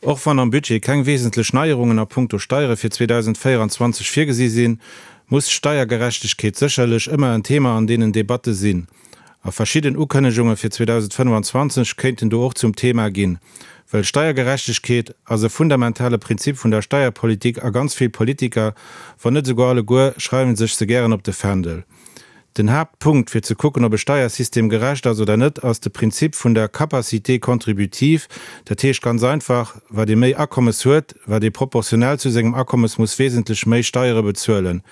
Och wann am Budget keng wesentlech Neierungen a punkto Steiere fir 2024 virgesi sinn, muss Steiergerechtegkeet sécherlech ëmmer en Thema an deenen Debatte sinn. A verschidden Ukënnegunge fir 2025 kéinten do och zum Thema ginn. Well Steiergerechtegkeet ass e fundamentale Prinzip vun der Steierpolitik a ganz vill Politiker, wann net esouguer alleguer, schreiwen sech se gären op de Fändel. Den Haaptpunkt, fir ze kucken, ob e Steiersystem gerecht ass oder net, ass de Prinzip vun der Capacité contributive. Dat heescht ganz einfach, Wat ee méi Akommes huet, wat ee proportionell zu sengem Akommes muss wesentlech méi Steiere bezuelen.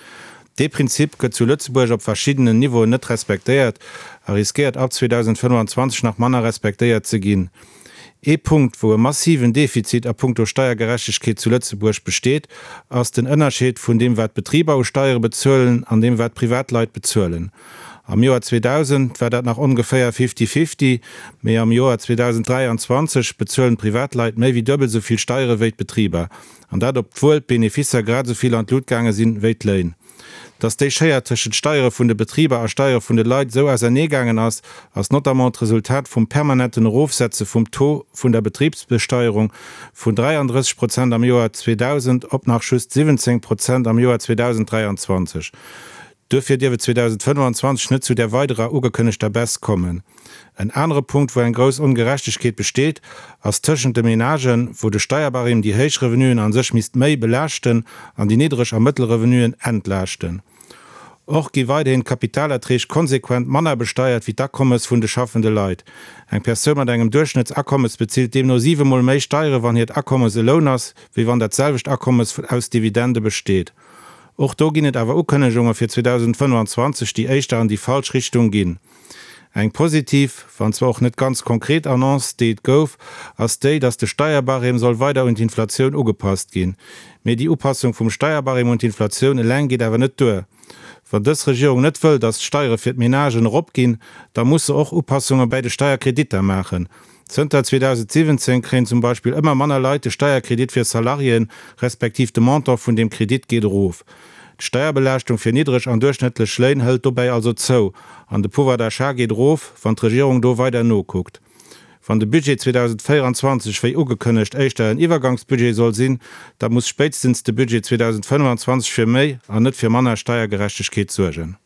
Dee Prinzip gëtt zu Lëtzebuerg op verschiddenen Niveauen net respektéiert a riskéiert ab 2025 nach manner respektéiert ze ginn. Ee Punkt, wou e massiven Defizit a punkto Steiergerechtegkeet zu Lëtzebuerg besteet, ass den Ënnerscheed vun deem wat d'Betriber u Steiere bezuelen an deem wat Privatleit bezuelen. Am Joer 2000 war dat nach ongeféier fifty-fifty, mee am Joer 2023 bezuelen d'Privatleit méi wéi duebel esou vill Steiere wéi d'Betriber, an dat obwuel d'Beneficer grad esou vill an d'Lut gaange sinn wéi d'Léin. Dass déi Schéier tëschent Steiere vun de Betriber a Steiere vun de Leit esou ausernee gaangen ass, ass notamment d'Resultat vum permanenten Erofsetze vum Taux vun der Betribsbesteierung vun 33 Prozent am Joer 2000 op nach just 17 Prozent am Joer 2023. Duerfir dierf et 2025 net zu där weiderer ugekënnegter Baisse kommen. En anere Punkt, wou eng grouss Ongerechtegkeet besteet, ass tëschent de Menagen, wou de Steierbarème déi héich Revenuen a sech misst méi belaaschten an déi niddreg a mëttel Revenuen entlaaschten. Och gi weiderhin d'Kapitalerträg konsequent manner besteiert wéi d'Akommes vun de schaffende Leit. Eng Persoun mat engem Duerchschnëttsakommes bezilt deemno siwemol méi Steiere wann hiert Akommes e Loun ass, wéi wann dat selwecht Akommes aus Dividende besteet. Och do ginn et awer Ukënnegunge fir 2025, déi éischter an déi falsch Richtung ginn. Eng positiv, wann zwar och net ganz konkret Annonce, déi et gouf, ass déi, datt de Steierbarème soll weider un d'Inflatioun ugepasst ginn. Mee déi Upassung vum Steierbarème un d'Inflatioun eleng geet awer net duer. Wann dës Regierung net wëll, datt d'Steiere fir d'Menagen eropginn, da muss se och Upassunge bäi de Steierkreditter maachen. Zënter 2017 kréien zum Beispill ëmmer manner Leit de Steierkredit fir Salariéen, respektiv de Montant vun deem Kredit geet erof. D'Steierbelaaschtung fir niddreg an duerchschnëttlech Léin hëlt dobäi also zou an de Pouvoir d'achat geet erof, wann d'Regierung do weider nokuckt. Wann de Budget 2024, wéi ugekënnegt, éischter en Iwwergangsbudget soll sinn, da muss spéitstens de Budget 2025 fir méi an net fir manner Steiergerechtegkeet suergen.